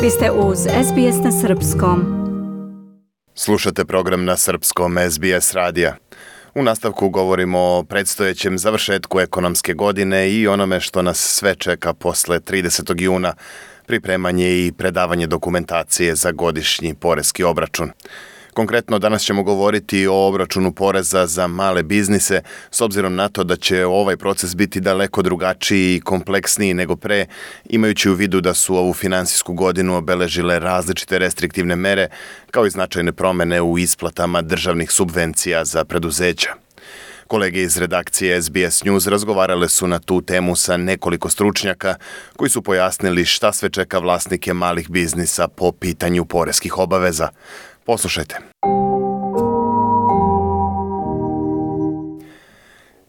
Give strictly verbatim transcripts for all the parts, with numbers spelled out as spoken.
Vi ste uz S B S na srpskom. Slušate program na srpskom S B S radija. U nastavku govorimo o predstojećem završetku ekonomske godine i onome što nas sve čeka posle tridesetog juna, pripremanje i predavanje dokumentacije za godišnji poreski obračun. Konkretno, danas ćemo govoriti o obračunu poreza za male biznise, s obzirom na to da će ovaj proces biti daleko drugačiji i kompleksniji nego pre, imajući u vidu da su ovu finansijsku godinu obeležile različite restriktivne mere, kao i značajne promene u isplatama državnih subvencija za preduzeća. Kolege iz redakcije S B S News razgovarale su na tu temu sa nekoliko stručnjaka koji su pojasnili šta sve čeka vlasnike malih biznisa po pitanju poreskih obaveza. Poslušajte.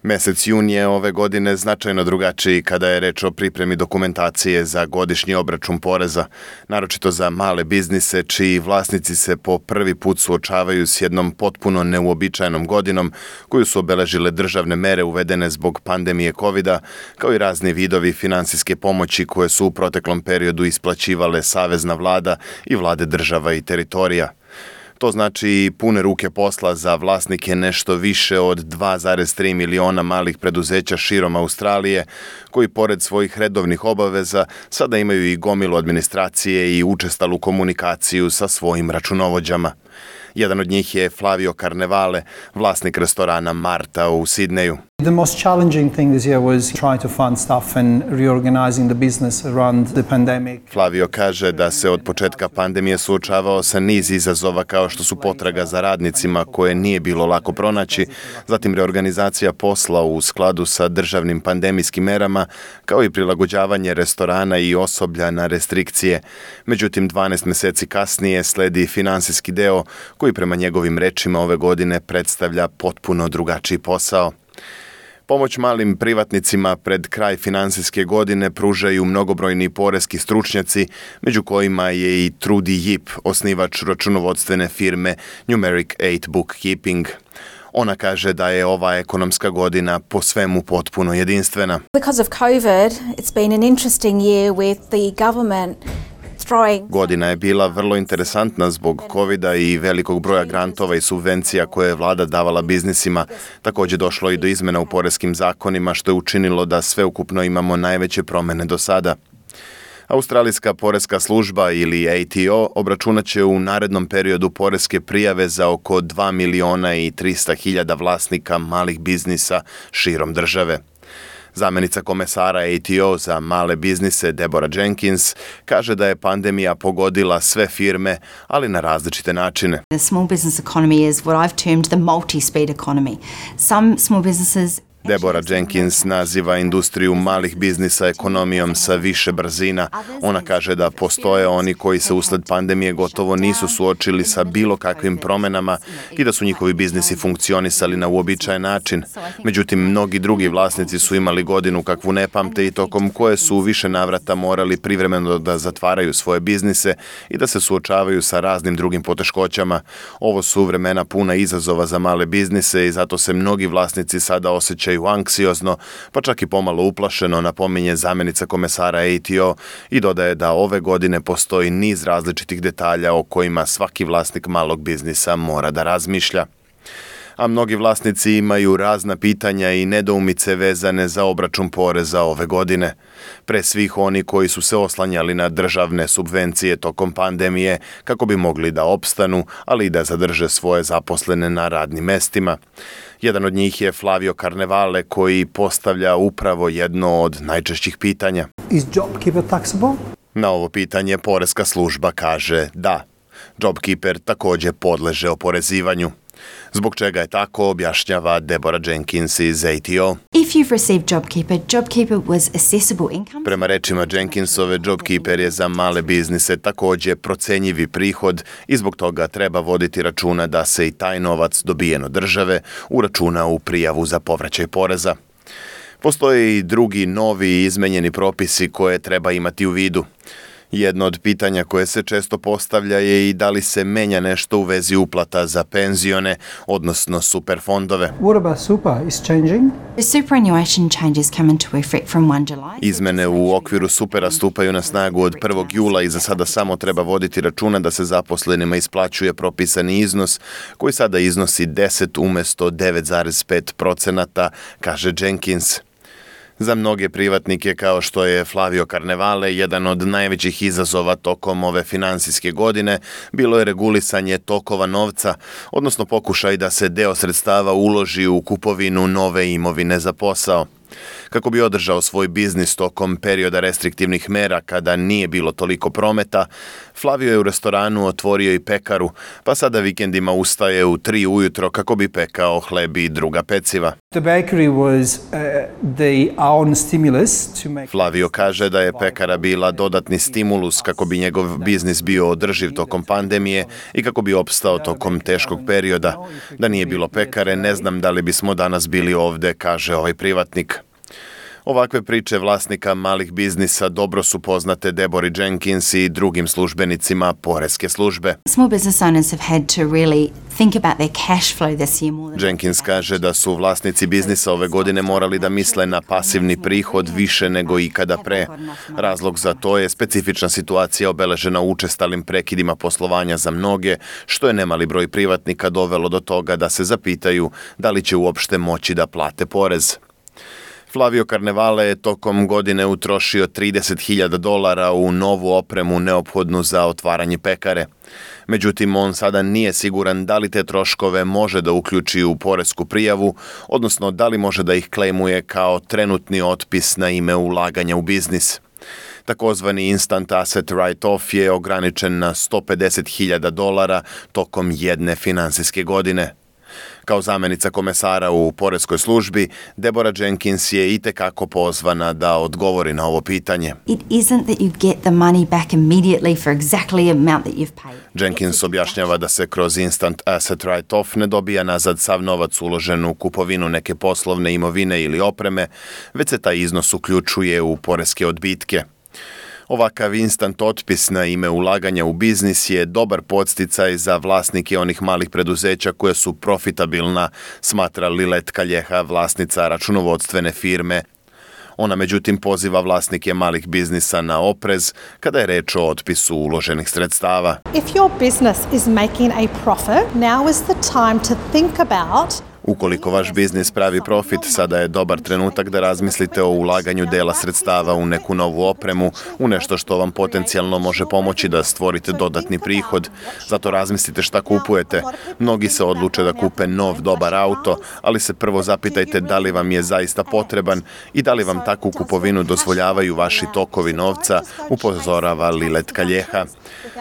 Mesec jun je ove godine značajno drugačiji kada je reč o pripremi dokumentacije za godišnji obračun poreza, naročito za male biznise čiji vlasnici se po prvi put suočavaju s jednom potpuno neuobičajenom godinom koju su obeležile državne mere uvedene zbog pandemije kovida, kao i razni vidovi finansijske pomoći koje su u proteklom periodu isplaćivale savezna vlada i vlade država i teritorija. To znači pune ruke posla za vlasnike nešto više od dva zarez tri miliona malih preduzeća širom Australije, koji pored svojih redovnih obaveza sada imaju i gomilu administracije i učestalu komunikaciju sa svojim računovođama. Jedan od njih je Flavio Carnevale, vlasnik restorana Marta u Sidneju. The most challenging thing this year was trying to fund stuff and reorganizing the business around the pandemic. Flavio kaže da se od početka pandemije suočavao sa niz izazova kao što su potraga za radnicima koje nije bilo lako pronaći, zatim reorganizacija posla u skladu sa državnim pandemijskim merama, kao i prilagođavanje restorana i osoblja na restrikcije. Međutim, dvanaest meseci kasnije sledi finansijski deo koji prema njegovim rečima ove godine predstavlja potpuno drugačiji posao. Pomoć malim privatnicima pred kraj finansijske godine pružaju mnogobrojni poreski stručnjaci, među kojima je i Trudy Yip, osnivač računovodstvene firme Numeric osam Bookkeeping. Ona kaže da je ova ekonomska godina po svemu potpuno jedinstvena. Because of COVID, it's been an interesting year with the government. Godina je bila vrlo interesantna zbog kovida i velikog broja grantova i subvencija koje je vlada davala biznisima. Također došlo i do izmena u poreskim zakonima što je učinilo da sveukupno imamo najveće promene do sada. Australijska poreska služba ili A T O obračunat će u narednom periodu poreske prijave za oko dva miliona i trista hiljada vlasnika malih biznisa širom države. Zamenica komesara A T O za male biznise Deborah Jenkins kaže da je pandemija pogodila sve firme, ali na različite načine. The small business economy is what I've termed the multi-speed economy. Some small businesses Deborah Jenkins naziva industriju malih biznisa ekonomijom sa više brzina. Ona kaže da postoje oni koji se usled pandemije gotovo nisu suočili sa bilo kakvim promenama i da su njihovi biznisi funkcionisali na uobičajen način. Međutim, mnogi drugi vlasnici su imali godinu kakvu ne pamte i tokom koje su u više navrata morali privremeno da zatvaraju svoje biznise i da se suočavaju sa raznim drugim poteškoćama. Ovo su vremena puna izazova za male biznise i zato se mnogi vlasnici sada osjećaju anksiozno, pa čak i pomalo uplašeno, napominje zamenica komesara A T O i dodaje da ove godine postoji niz različitih detalja o kojima svaki vlasnik malog biznisa mora da razmišlja. A mnogi vlasnici imaju razna pitanja i nedoumice vezane za obračun poreza ove godine. Pre svih oni koji su se oslanjali na državne subvencije tokom pandemije kako bi mogli da opstanu, ali i da zadrže svoje zaposlene na radnim mestima. Jedan od njih je Flavio Carnevale koji postavlja upravo jedno od najčešćih pitanja. Is JobKeeper taxable? Na ovo pitanje poreska služba kaže da. JobKeeper također podleže oporezivanju. Zbog čega je tako, objašnjava Deborah Jenkins iz A T O. If you've received JobKeeper, JobKeeper was assessable income. Prema rečima Jenkinsove, JobKeeper je za male biznise također procenjivi prihod i zbog toga treba voditi računa da se i taj novac dobijen od države uračuna u prijavu za povraćaj poreza. Postoje i drugi novi i izmenjeni propisi koje treba imati u vidu. Jedno od pitanja koje se često postavlja je i da li se menja nešto u vezi uplata za penzione, odnosno superfondove. What about super is changing? The superannuation changes come into effect from first of July. Izmene u okviru supera stupaju na snagu od prvog jula i za sada samo treba voditi računa da se zaposlenima isplaćuje propisani iznos koji sada iznosi deset umjesto devet zarez pet procenata, kaže Jenkins. Za mnoge privatnike kao što je Flavio Carnevale, jedan od najvećih izazova tokom ove finansijske godine bilo je regulisanje tokova novca, odnosno pokušaj da se deo sredstava uloži u kupovinu nove imovine za posao. Kako bi održao svoj biznis tokom perioda restriktivnih mera kada nije bilo toliko prometa, Flavio je u restoranu otvorio i pekaru, pa sada vikendima ustaje u tri ujutro kako bi pekao hleb i druga peciva. The bakery was uh, the own stimulus to make... Flavio kaže da je pekara bila dodatni stimulus kako bi njegov biznis bio održiv tokom pandemije i kako bi opstao tokom teškog perioda. Da nije bilo pekare, ne znam da li bismo danas bili ovde, kaže ovaj privatnik. Ovakve priče vlasnika malih biznisa dobro su poznate Deborah Jenkins i drugim službenicima poreske službe. Small business owners have had to really think about their cash flow this year more than Jenkins kaže da su vlasnici biznisa ove godine morali da misle na pasivni prihod više nego ikada pre. Razlog za to je specifična situacija obeležena učestalim prekidima poslovanja za mnoge, što je nemali broj privatnika dovelo do toga da se zapitaju da li će uopšte moći da plate porez. Flavio Carnevale je tokom godine utrošio trideset hiljada dolara u novu opremu neophodnu za otvaranje pekare. Međutim, on sada nije siguran da li te troškove može da uključi u poresku prijavu, odnosno da li može da ih klejmuje kao trenutni otpis na ime ulaganja u biznis. Takozvani instant asset write-off je ograničen na sto pedeset hiljada dolara tokom jedne finansijske godine. Kao zamenica komesara u poreskoj službi, Deborah Jenkins je itekako pozvana da odgovori na ovo pitanje. It isn't that you get the money back immediately for exactly the amount that you've paid. Jenkins objašnjava da se kroz instant asset write-off ne dobija nazad sav novac uložen u kupovinu neke poslovne imovine ili opreme, već se taj iznos uključuje u poreske odbitke. Ovakav instant otpis na ime ulaganja u biznis je dobar podsticaj za vlasnike onih malih preduzeća koje su profitabilna, smatra Lilet Calleja, vlasnica računovodstvene firme. Ona međutim poziva vlasnike malih biznisa na oprez kada je reč o otpisu uloženih sredstava. If your business is making a profit, now is the time to think about Ukoliko vaš biznis pravi profit, sada je dobar trenutak da razmislite o ulaganju dela sredstava u neku novu opremu, u nešto što vam potencijalno može pomoći da stvorite dodatni prihod. Zato razmislite šta kupujete. Mnogi se odluče da kupe nov, dobar auto, ali se prvo zapitajte da li vam je zaista potreban i da li vam takvu kupovinu dozvoljavaju vaši tokovi novca, upozorava Lilet Calleja.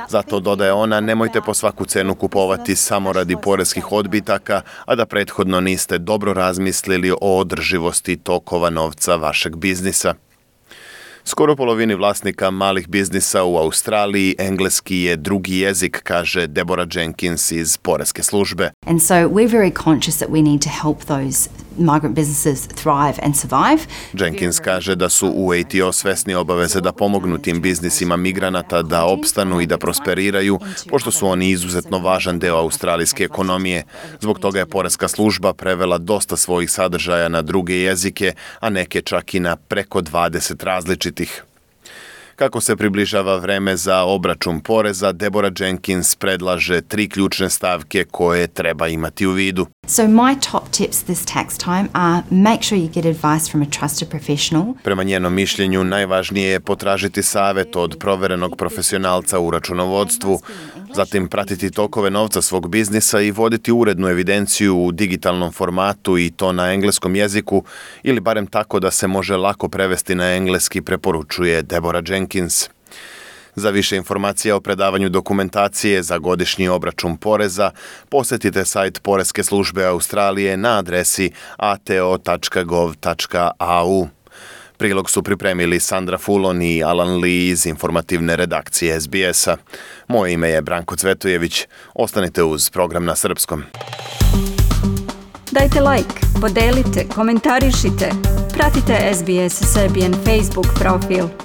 Zato, dodaje ona, nemojte po svaku cenu kupovati samo radi poreskih odbitaka, a da prethodno niste dobro razmislili o održivosti tokova novca vašeg biznisa. Skoro polovini vlasnika malih biznisa u Australiji engleski je drugi jezik, kaže Deborah Jenkins iz poreske službe. And so we're very conscious that we need to help those migrant businesses thrive and survive. Jenkins kaže da su u A T O svesni obaveze da pomognu tim biznisima migranata da opstanu i da prosperiraju, pošto su oni izuzetno važan deo australijske ekonomije. Zbog toga je poreska služba prevela dosta svojih sadržaja na druge jezike, a neke čak i na preko dvadeset različitih. Kako se približava vreme za obračun poreza, Deborah Jenkins predlaže tri ključne stavke koje treba imati u vidu. So my top tips this tax time are make sure you get advice from a trusted professional. Prema njenom mišljenju, najvažnije je potražiti savjet od proverenog profesionalca u računovodstvu, zatim pratiti tokove novca svog biznisa i voditi urednu evidenciju u digitalnom formatu i to na engleskom jeziku ili barem tako da se može lako prevesti na engleski, preporučuje Deborah Jenkins. Za više informacija o predavanju dokumentacije za godišnji obračun poreza, posjetite sajt Poreske službe Australije na adresi a t o tačka gov tačka a u. Prilog su pripremili Sandra Fulon i Alan Lee iz informativne redakcije S B S-a. Moje ime je Branko Cvetojević. Ostanite uz program na srpskom. Dajte like, podelite, komentarišite. Pratite S B S Serbian Facebook profil.